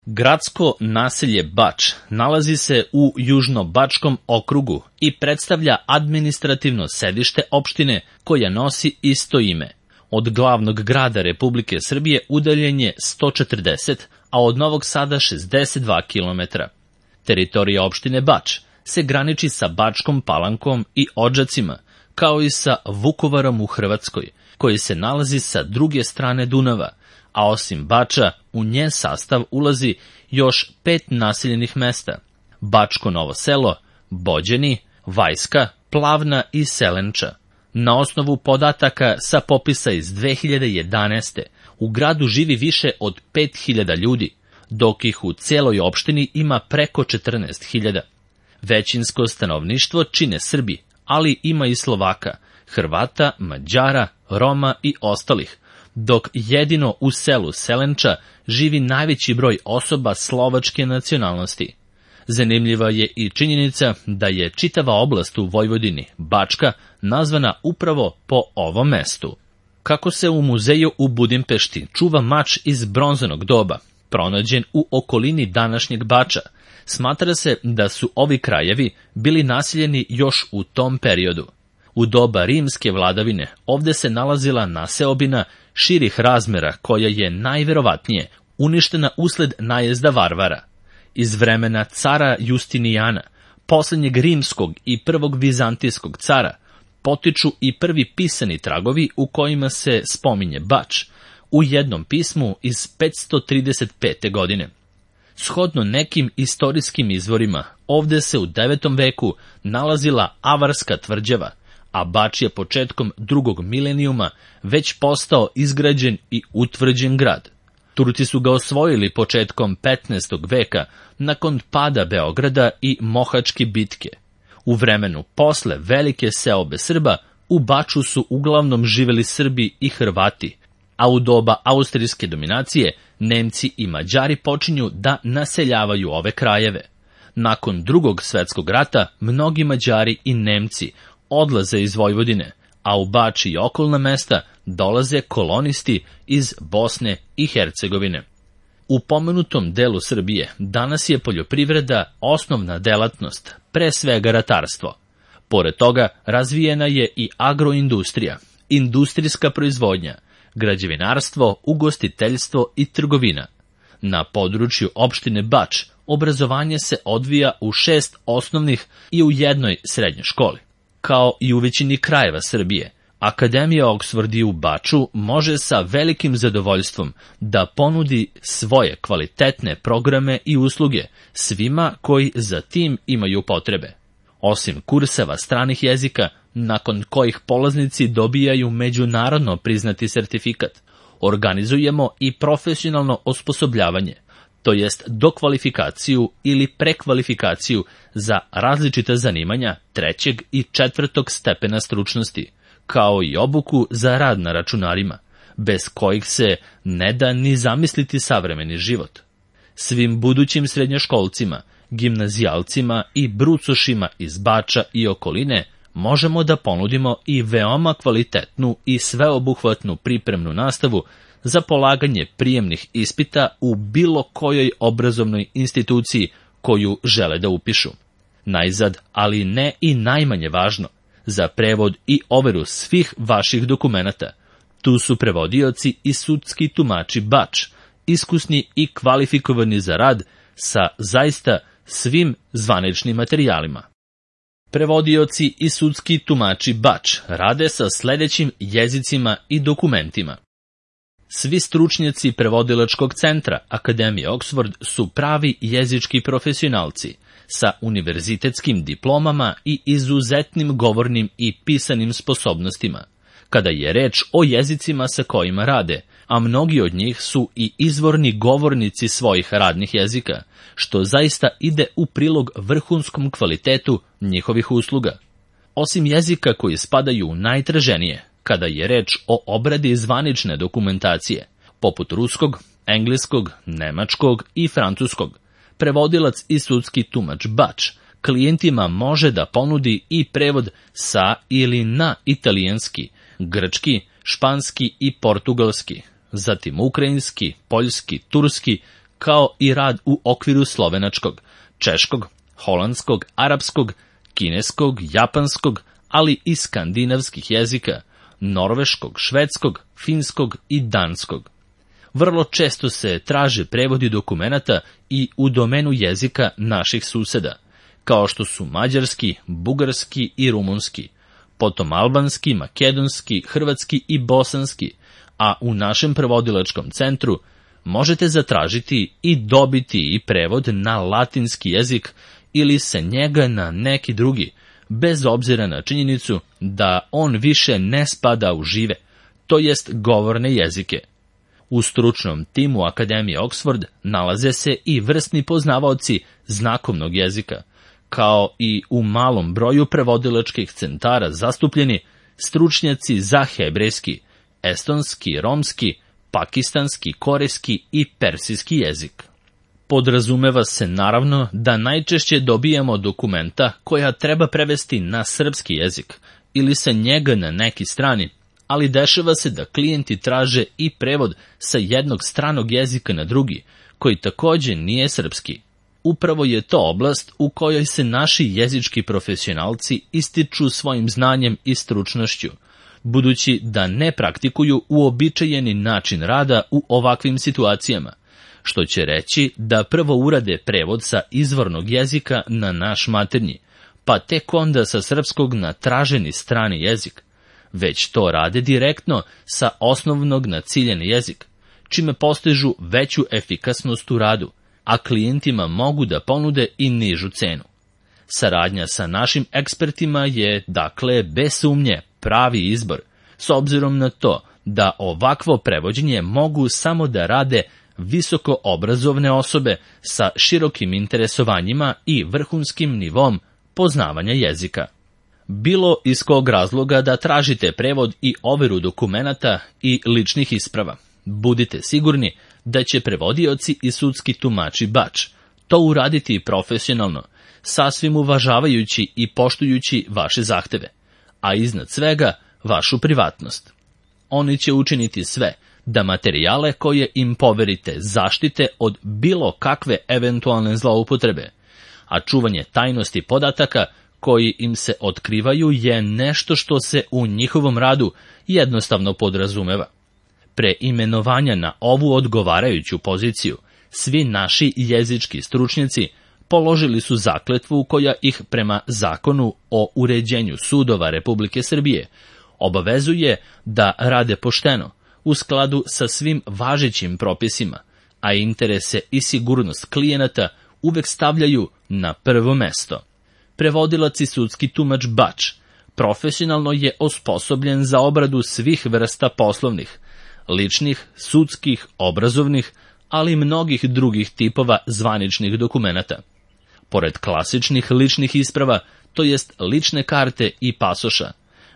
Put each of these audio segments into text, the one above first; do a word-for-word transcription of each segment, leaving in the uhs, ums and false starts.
Gradsko naselje Bač nalazi se u Južno-Bačkom okrugu i predstavlja administrativno sedište opštine koja nosi isto ime. Od glavnog grada Republike Srbije udaljen je sto četrdeset, a od Novog Sada šezdeset dva kilometra. Teritorija opštine Bač se graniči sa Bačkom Palankom i Odžacima, kao i sa Vukovarom u Hrvatskoj, koji se nalazi sa druge strane Dunava, a osim Bača, u njen sastav ulazi još pet naseljenih mesta: Bačko Novo Selo, Bođeni, Vajska, Plavna i Selenča. Na osnovu podataka sa popisa iz dve hiljade jedanaeste. u gradu živi više od pet hiljada ljudi, dok ih u celoj opštini ima preko četrnaest hiljada. Većinsko stanovništvo čine Srbi, ali ima i Slovaka, Hrvata, Mađara, Roma i ostalih, dok jedino u selu Selenča živi najveći broj osoba slovačke nacionalnosti. Zanimljiva je i činjenica da je čitava oblast u Vojvodini, Bačka, nazvana upravo po ovom mestu. Kako se u muzeju u Budimpešti čuva mač iz bronzanog doba, pronađen u okolini današnjeg Bača, smatra se da su ovi krajevi bili naseljeni još u tom periodu. U doba rimske vladavine ovde se nalazila naseobina širih razmera koja je najverovatnije uništena usled najezda varvara. Iz vremena cara Justinijana, poslednjeg rimskog i prvog vizantijskog cara, potiču i prvi pisani tragovi u kojima se spominje Bač, u jednom pismu iz petsto trideset pete. godine. Shodno nekim istorijskim izvorima, ovde se u devetom veku nalazila Avarska tvrđava, a Bač je početkom drugog milenijuma već postao izgrađen i utvrđen grad. Turci su ga osvojili početkom petnaestog veka nakon pada Beograda i Mohačke bitke. U vremenu posle velike seobe Srba u Baču su uglavnom živeli Srbi i Hrvati, a u doba austrijske dominacije Nemci i Mađari počinju da naseljavaju ove krajeve. Nakon drugog svetskog rata mnogi Mađari i Nemci odlaze iz Vojvodine, a u Bač i okolna mesta dolaze kolonisti iz Bosne i Hercegovine. U pomenutom delu Srbije danas je poljoprivreda osnovna delatnost, pre svega ratarstvo. Pored toga razvijena je i agroindustrija, industrijska proizvodnja, građevinarstvo, ugostiteljstvo i trgovina. Na području opštine Bač obrazovanje se odvija u šest osnovnih i u jednoj srednjoj školi. Kao i u većini krajeva Srbije, Akademija Oksford u Baču može sa velikim zadovoljstvom da ponudi svoje kvalitetne programe i usluge svima koji za tim imaju potrebe. Osim kurseva stranih jezika, nakon kojih polaznici dobijaju međunarodno priznati sertifikat, organizujemo i profesionalno osposobljavanje, to jest dokvalifikaciju ili prekvalifikaciju za različita zanimanja trećeg i četvrtog stepena stručnosti, kao i obuku za rad na računarima, bez kojih se ne da ni zamisliti savremeni život. Svim budućim srednjoškolcima, gimnazijalcima i brucošima iz Bača i okoline možemo da ponudimo i veoma kvalitetnu i sveobuhvatnu pripremnu nastavu za polaganje prijemnih ispita u bilo kojoj obrazovnoj instituciji koju žele da upišu. Najzad, ali ne i najmanje važno, za prevod i overu svih vaših dokumenata, tu su prevodioci i sudski tumači Bač, iskusni i kvalifikovani za rad sa zaista svim zvaničnim materijalima. Prevodioci i sudski tumači Bač rade sa sledećim jezicima i dokumentima. Svi stručnjaci prevodilačkog centra Akademije Oksford su pravi jezički profesionalci sa univerzitetskim diplomama i izuzetnim govornim i pisanim sposobnostima, kada je reč o jezicima sa kojima rade, a mnogi od njih su i izvorni govornici svojih radnih jezika, što zaista ide u prilog vrhunskom kvalitetu njihovih usluga. Osim jezika koji spadaju u najtraženije, kada je reč o obradi zvanične dokumentacije, poput ruskog, engleskog, nemačkog i francuskog, prevodilac i sudski tumač Bač klijentima može da ponudi i prevod sa ili na italijanski, grčki, španski i portugalski, zatim ukrajinski, poljski, turski, kao i rad u okviru slovenačkog, češkog, holandskog, arapskog, kineskog, japanskog, ali i skandinavskih jezika, norveškog, švedskog, finskog i danskog. Vrlo često se traže prevodi dokumenata i u domenu jezika naših suseda, kao što su mađarski, bugarski i rumunski, potom albanski, makedonski, hrvatski i bosanski, a u našem prevodilačkom centru možete zatražiti i dobiti i prevod na latinski jezik ili se njega na neki drugi, bez obzira na činjenicu da on više ne spada u žive, to jest govorne jezike. U stručnom timu Akademije Oxford nalaze se i vrsni poznavaoci znakovnog jezika, kao i u malom broju prevodilačkih centara zastupljeni stručnjaci za hebrejski, estonski, romski, pakistanski, korejski i persijski jezik. Podrazumeva se naravno da najčešće dobijamo dokumenta koja treba prevesti na srpski jezik ili sa njega na neki strani, ali dešava se da klijenti traže i prevod sa jednog stranog jezika na drugi, koji takođe nije srpski. Upravo je to oblast u kojoj se naši jezički profesionalci ističu svojim znanjem i stručnošću, budući da ne praktikuju uobičajeni način rada u ovakvim situacijama, što će reći da prvo urade prevod sa izvornog jezika na naš maternji, pa tek onda sa srpskog na traženi strani jezik, već to rade direktno sa osnovnog na ciljeni jezik, čime postižu veću efikasnost u radu, a klijentima mogu da ponude i nižu cenu. Saradnja sa našim ekspertima je, dakle, bez sumnje pravi izbor, s obzirom na to da ovakvo prevođenje mogu samo da rade visoko obrazovne osobe sa širokim interesovanjima i vrhunskim nivom poznavanja jezika. Bilo iz kog razloga da tražite prevod i overu dokumenata i ličnih isprava, budite sigurni da će prevodioci i sudski tumači Bač to uraditi profesionalno, sasvim uvažavajući i poštujući vaše zahteve, a iznad svega vašu privatnost. Oni će učiniti sve da materijale koje im poverite zaštite od bilo kakve eventualne zloupotrebe, a čuvanje tajnosti podataka koji im se otkrivaju je nešto što se u njihovom radu jednostavno podrazumeva. Pre imenovanja na ovu odgovarajuću poziciju, svi naši jezički stručnjaci položili su zakletvu koja ih prema Zakonu o uređenju sudova Republike Srbije obavezuje da rade pošteno, u skladu sa svim važećim propisima, a interese i sigurnost klijenata uvek stavljaju na prvo mesto. Prevodilac i sudski tumač Bač profesionalno je osposobljen za obradu svih vrsta poslovnih, ličnih, sudskih, obrazovnih, ali i mnogih drugih tipova zvaničnih dokumenata. Pored klasičnih ličnih isprava, to jest lične karte i pasoša,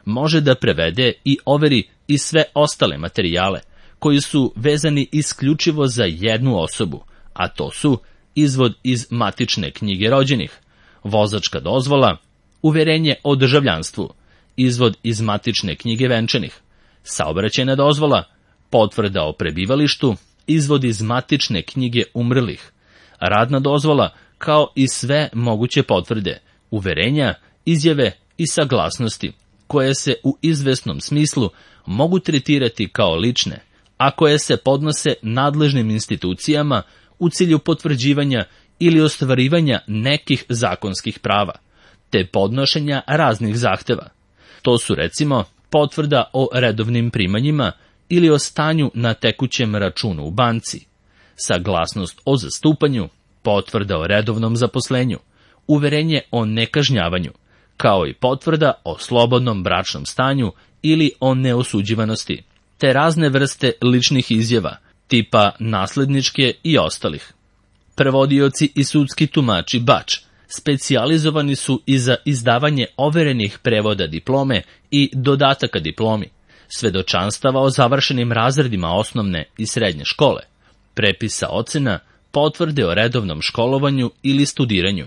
može da prevede i overi i sve ostale materijale, koji su vezani isključivo za jednu osobu, a to su izvod iz matične knjige rođenih, vozačka dozvola, uverenje o državljanstvu, izvod iz matične knjige venčanih, saobraćajna dozvola, potvrda o prebivalištu, izvod iz matične knjige umrlih, radna dozvola, kao i sve moguće potvrde, uverenja, izjave i saglasnosti, koje se u izvesnom smislu mogu tretirati kao lične, a koje se podnose nadležnim institucijama u cilju potvrđivanja ili ostvarivanja nekih zakonskih prava, te podnošenja raznih zahteva. To su recimo potvrda o redovnim primanjima ili o stanju na tekućem računu u banci, saglasnost o zastupanju, potvrda o redovnom zaposlenju, uverenje o nekažnjavanju, kao i potvrda o slobodnom bračnom stanju ili o neosuđivanosti, te razne vrste ličnih izjava, tipa nasledničke i ostalih. Prevodioci i sudski tumači Bač specijalizovani su i za izdavanje overenih prevoda diplome i dodataka diplomi, svedočanstava o završenim razredima osnovne i srednje škole, prepisa ocena, potvrde o redovnom školovanju ili studiranju,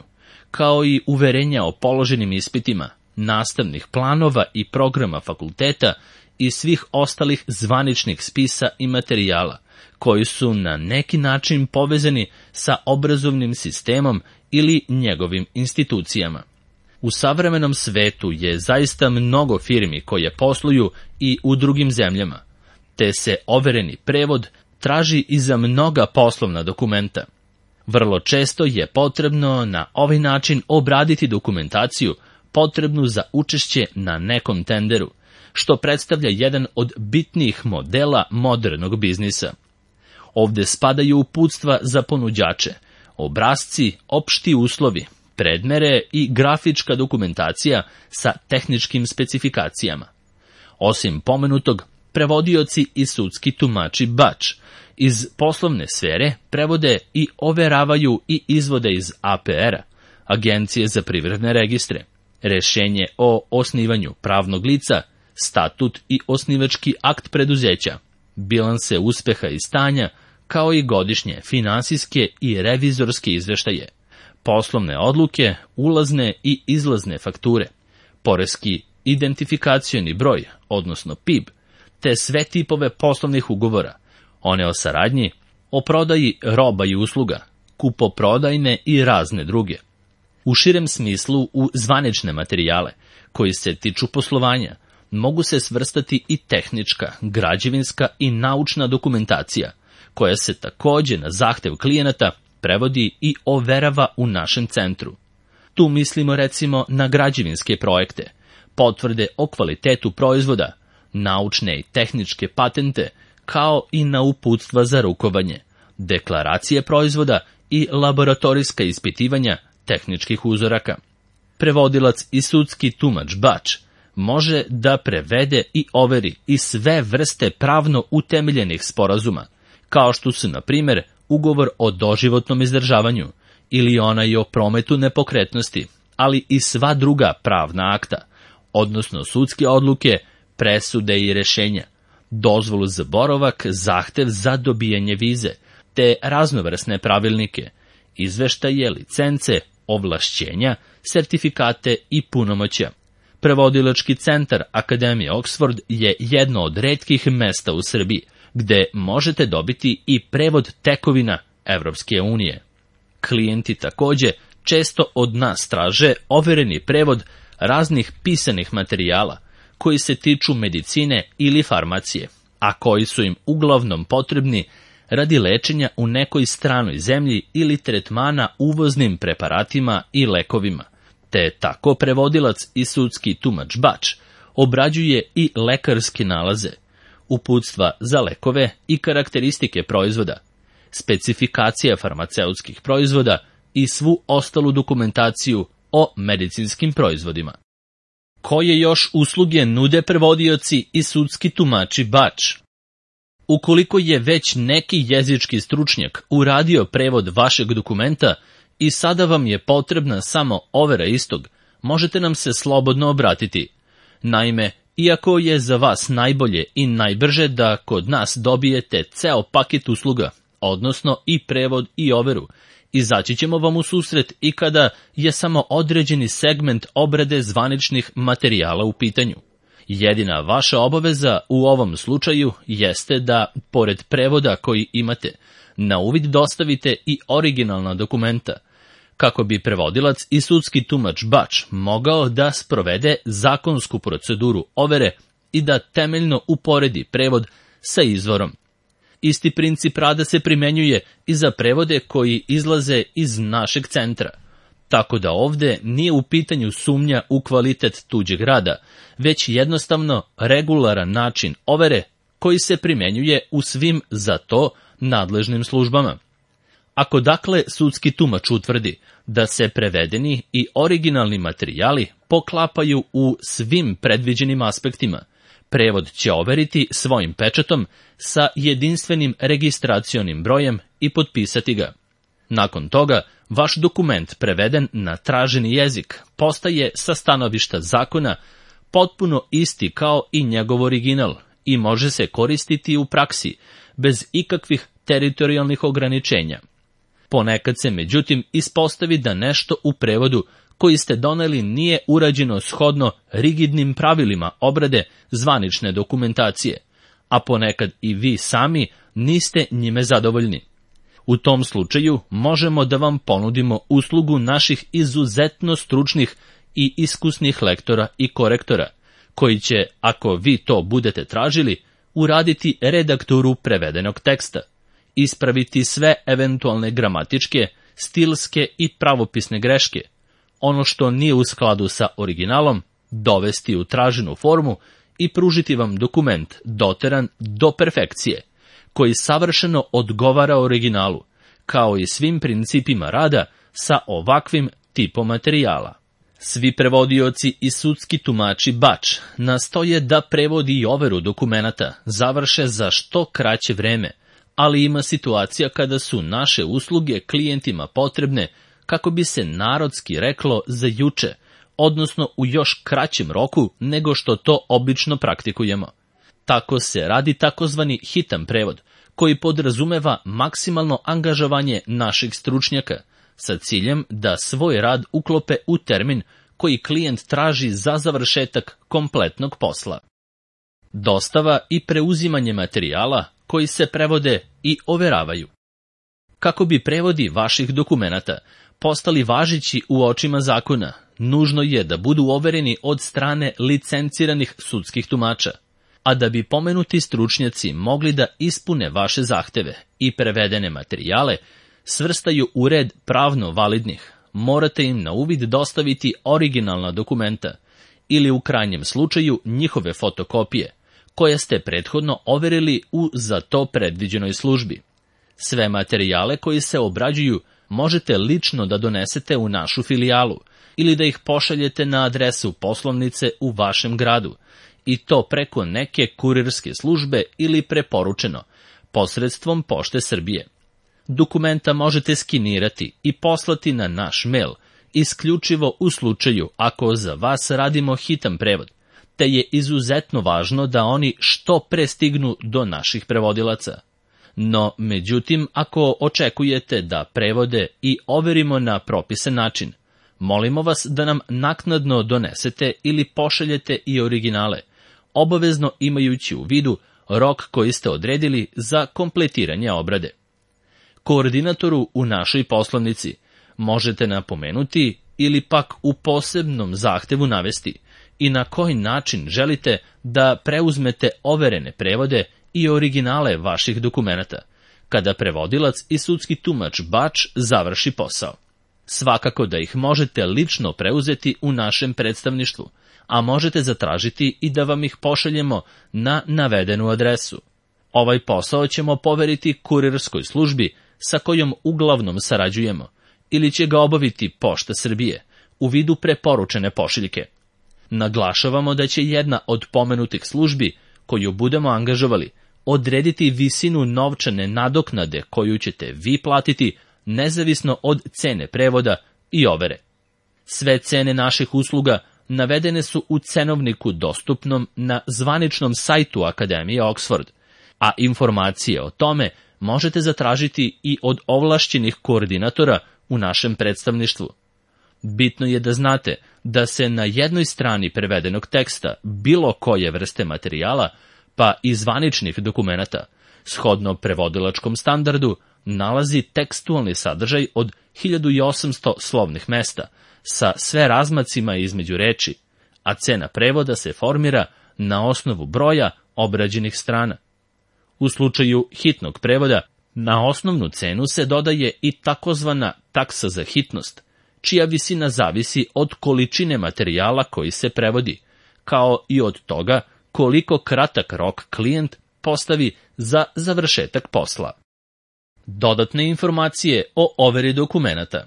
kao i uverenja o položenim ispitima, nastavnih planova i programa fakulteta i svih ostalih zvaničnih spisa i materijala, koji su na neki način povezani sa obrazovnim sistemom ili njegovim institucijama. U savremenom svetu je zaista mnogo firmi koje posluju i u drugim zemljama, te se overeni prevod traži i za mnoga poslovna dokumenta. Vrlo često je potrebno na ovaj način obraditi dokumentaciju potrebnu za učešće na nekom tenderu, što predstavlja jedan od bitnijih modela modernog biznisa. Ovde spadaju uputstva za ponuđače, obrasci, opšti uslovi, predmere i grafička dokumentacija sa tehničkim specifikacijama. Osim pomenutog, prevodioci i sudski tumači bač iz poslovne sfere prevode i overavaju i izvode iz A P R-a, Agencije za privredne registre, rešenje o osnivanju pravnog lica, statut i osnivački akt preduzeća, bilanse uspeha i stanja, kao i godišnje finansijske i revizorske izveštaje, poslovne odluke, ulazne i izlazne fakture, poreski identifikacioni broj, odnosno P I B, te sve tipove poslovnih ugovora, one o saradnji, o prodaji roba i usluga, kupoprodajne i razne druge. U širem smislu, u zvanične materijale, koji se tiču poslovanja, mogu se svrstati i tehnička, građevinska i naučna dokumentacija, koja se takođe na zahtev klijenata prevodi i overava u našem centru. Tu mislimo recimo na građevinske projekte, potvrde o kvalitetu proizvoda, naučne i tehničke patente, kao i na uputstva za rukovanje, deklaracije proizvoda i laboratorijska ispitivanja tehničkih uzoraka. Prevodilac i sudski tumač bač može da prevede i overi i sve vrste pravno utemeljenih sporazuma, kao što su, na primjer, ugovor o doživotnom izdržavanju ili onaj o prometu nepokretnosti, ali i sva druga pravna akta, odnosno sudske odluke, presude i rešenja, dozvolu za boravak, zahtev za dobijanje vize, te raznovrsne pravilnike, izveštaje, licence, ovlašćenja, sertifikate i punomoćja. Prevodilački centar Akademije Oxford je jedno od retkih mesta u Srbiji, gde možete dobiti i prevod tekovina Evropske unije. Klijenti takođe često od nas traže overeni prevod raznih pisanih materijala, koji se tiču medicine ili farmacije, a koji su im uglavnom potrebni radi lečenja u nekoj stranoj zemlji ili tretmana uvoznim preparatima i lekovima, te tako prevodilac i sudski tumač bač obrađuje i lekarske nalaze, uputstva za lekove i karakteristike proizvoda, specifikacija farmaceutskih proizvoda i svu ostalu dokumentaciju o medicinskim proizvodima. Koje još usluge nude prevodioci i sudski tumači bač? Ukoliko je već neki jezički stručnjak uradio prevod vašeg dokumenta i sada vam je potrebna samo overa istog, možete nam se slobodno obratiti. Naime, iako je za vas najbolje i najbrže da kod nas dobijete ceo paket usluga, odnosno i prevod i overu, izaći ćemo vam u susret i kada je samo određeni segment obrade zvaničnih materijala u pitanju. Jedina vaša obaveza u ovom slučaju jeste da, pored prevoda koji imate, na uvid dostavite i originalna dokumenta, kako bi prevodilac i sudski tumač bač mogao da sprovede zakonsku proceduru overe i da temeljno uporedi prevod sa izvorom. Isti princip rada se primenjuje i za prevode koji izlaze iz našeg centra, tako da ovde nije u pitanju sumnja u kvalitet tuđeg rada, već jednostavno regularan način overe koji se primenjuje u svim za to nadležnim službama. Ako dakle sudski tumač utvrdi da se prevedeni i originalni materijali poklapaju u svim predviđenim aspektima, prevod će overiti svojim pečatom sa jedinstvenim registracionim brojem i potpisati ga. Nakon toga, vaš dokument preveden na traženi jezik postaje sa stanovišta zakona potpuno isti kao i njegov original i može se koristiti u praksi bez ikakvih teritorijalnih ograničenja. Ponekad se međutim ispostavi da nešto u prevodu koji ste doneli nije urađeno shodno rigidnim pravilima obrade zvanične dokumentacije, a ponekad i vi sami niste njime zadovoljni. U tom slučaju možemo da vam ponudimo uslugu naših izuzetno stručnih i iskusnih lektora i korektora, koji će, ako vi to budete tražili, uraditi redakturu prevedenog teksta, ispraviti sve eventualne gramatičke, stilske i pravopisne greške, ono što nije u skladu sa originalom, dovesti u traženu formu i pružiti vam dokument doteran do perfekcije, koji savršeno odgovara originalu, kao i svim principima rada sa ovakvim tipom materijala. Svi prevodioci i sudski tumači Bač nastoje da prevodi i overu dokumenata završe za što kraće vreme, ali ima situacija kada su naše usluge klijentima potrebne, kako bi se narodski reklo, za juče, odnosno u još kraćem roku nego što to obično praktikujemo. Tako se radi takozvani hitan prevod, koji podrazumeva maksimalno angažovanje naših stručnjaka, sa ciljem da svoj rad uklope u termin koji klijent traži za završetak kompletnog posla. Dostava i preuzimanje materijala koji se prevode i overavaju. Kako bi prevodi vaših dokumenata postali važeći u očima zakona, nužno je da budu overeni od strane licenciranih sudskih tumača. A da bi pomenuti stručnjaci mogli da ispune vaše zahteve i prevedene materijale svrstaju u red pravno validnih, morate im na uvid dostaviti originalna dokumenta ili u krajnjem slučaju njihove fotokopije, koje ste prethodno overili u za to predviđenoj službi. Sve materijale koji se obrađuju možete lično da donesete u našu filijalu ili da ih pošaljete na adresu poslovnice u vašem gradu, i to preko neke kurirske službe ili preporučeno, posredstvom Pošte Srbije. Dokumenta možete skinirati i poslati na naš mail, isključivo u slučaju ako za vas radimo hitan prevod, te je izuzetno važno da oni što pre stignu do naših prevodilaca. No, međutim, ako očekujete da prevode i overimo na propisan način, molimo vas da nam naknadno donesete ili pošaljete i originale, obavezno imajući u vidu rok koji ste odredili za kompletiranje obrade. Koordinatoru u našoj poslovnici možete napomenuti ili pak u posebnom zahtevu navesti i na koji način želite da preuzmete overene prevode i originale vaših dokumenata, kada prevodilac i sudski tumač Bač završi posao. Svakako da ih možete lično preuzeti u našem predstavništvu, a možete zatražiti i da vam ih pošaljemo na navedenu adresu. Ovaj posao ćemo poveriti kurirskoj službi sa kojom uglavnom sarađujemo, ili će ga obaviti Pošta Srbije u vidu preporučene pošiljke. Naglašavamo da će jedna od pomenutih službi koju budemo angažovali odrediti visinu novčane nadoknade koju ćete vi platiti nezavisno od cene prevoda i overe. Sve cene naših usluga navedene su u cenovniku dostupnom na zvaničnom sajtu Akademije Oxford, a informacije o tome možete zatražiti i od ovlašćenih koordinatora u našem predstavništvu. Bitno je da znate da se na jednoj strani prevedenog teksta bilo koje vrste materijala, pa i zvaničnih dokumenata, shodno prevodilačkom standardu, nalazi tekstualni sadržaj od hiljadu osamsto slovnih mesta, sa sve razmacima između reči, a cena prevoda se formira na osnovu broja obrađenih strana. U slučaju hitnog prevoda, na osnovnu cenu se dodaje i takozvana taksa za hitnost, čija visina zavisi od količine materijala koji se prevodi, kao i od toga koliko kratak rok klijent postavi za završetak posla. Dodatne informacije o overi dokumenata.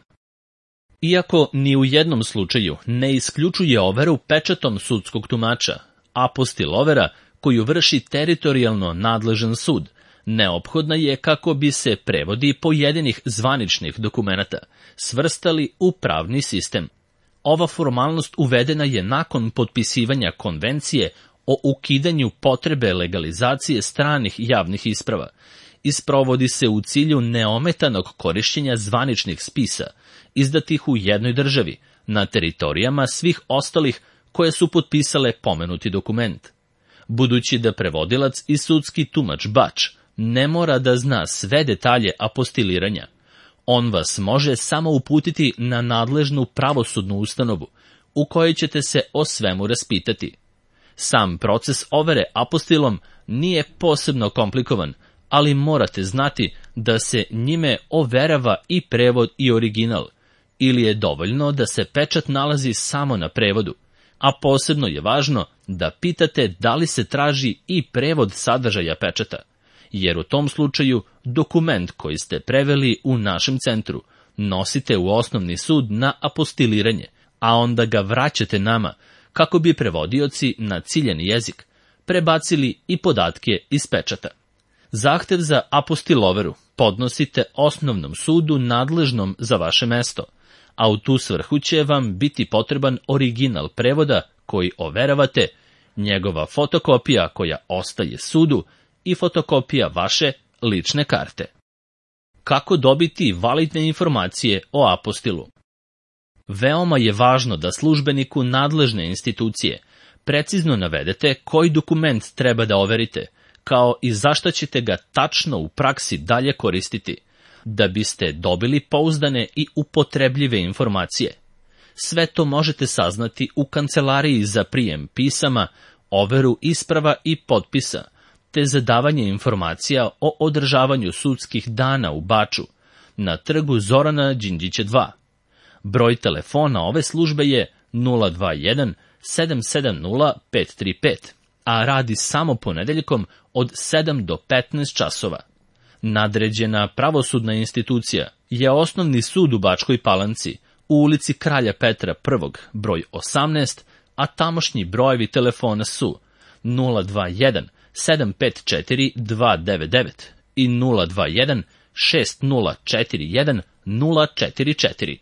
Iako ni u jednom slučaju ne isključuje overu pečatom sudskog tumača, apostil overa koju vrši teritorijalno nadležan sud, neophodna je kako bi se prevodi pojedinih zvaničnih dokumenata svrstali u pravni sistem. Ova formalnost uvedena je nakon potpisivanja konvencije o ukidanju potrebe legalizacije stranih javnih isprava i sprovodi se u cilju neometanog korišćenja zvaničnih spisa, izdatih u jednoj državi, na teritorijama svih ostalih koje su potpisale pomenuti dokument. budući da prevodilac i sudski tumač Bač ne mora da zna sve detalje apostiliranja. On vas može samo uputiti na nadležnu pravosudnu ustanovu, u kojoj ćete se o svemu raspitati. Sam proces overe apostilom nije posebno komplikovan, ali morate znati da se njime overava i prevod i original, ili je dovoljno da se pečat nalazi samo na prevodu, a posebno je važno da pitate da li se traži i prevod sadržaja pečata, jer u tom slučaju dokument koji ste preveli u našem centru nosite u osnovni sud na apostiliranje, a onda ga vraćate nama kako bi prevodioci na ciljani jezik prebacili i podatke iz pečata. Zahtev za apostiloveru podnosite osnovnom sudu nadležnom za vaše mesto, a u tu svrhu će vam biti potreban original prevoda koji overavate, njegova fotokopija koja ostaje sudu i fotokopija vaše lične karte. Kako dobiti validne informacije o apostilu? Veoma je važno da službeniku nadležne institucije precizno navedete koji dokument treba da overite, kao i zašta ćete ga tačno u praksi dalje koristiti, da biste dobili pouzdane i upotrebljive informacije. Sve to možete saznati u kancelariji za prijem pisama, overu isprava i potpisa, te za davanje informacija o održavanju sudskih dana u Baču, na trgu Zorana Đinđića dva. Broj telefona ove službe je nula dva jedan sedam sedam nula pet tri pet, a radi samo ponedeljkom od sedam do petnaest časova. Nadređena pravosudna institucija je Osnovni sud u Bačkoj Palanci, u ulici Kralja Petra prvog, broj osamnaest, a tamošnji brojevi telefona su nula dva jedan sedam pet četiri dva devet devet i nula dva jedan šest nula četiri jedan nula četiri četiri.